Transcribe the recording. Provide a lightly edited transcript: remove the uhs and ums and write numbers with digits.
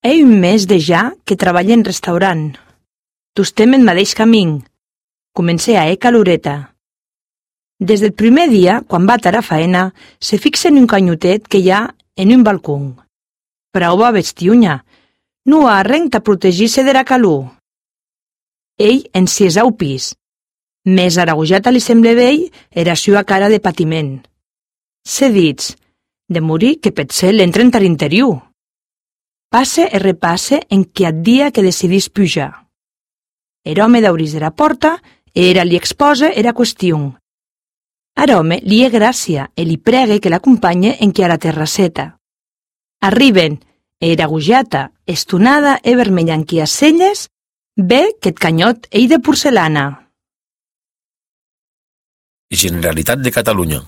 He un mes de ja que treballa en restaurant. Tostem en mateix camí. Comencé a caloreta. Des del primer dia, quan va a faena, se fixa en un canyotet que hi ha en un balcó. Prova bestiunya. No ha arrenc a protegir-se de la calor. Ell en si és au pis. Més aragujata li sembla vell era sua cara de patiment. Se dits, de morir que potser l'entren a l'interior. Passe e repasse en quat dia que decidís pujar. Er home d'auris de la porta era li exposa era qüestió. Ar home li è gràcia e li pregue que l'acompanye en qui a la terrasseta. Arriben, era agujata, estonada e vermella en qui a celles, ve que et canyot ei de porcelana. Generalitat de Catalunya.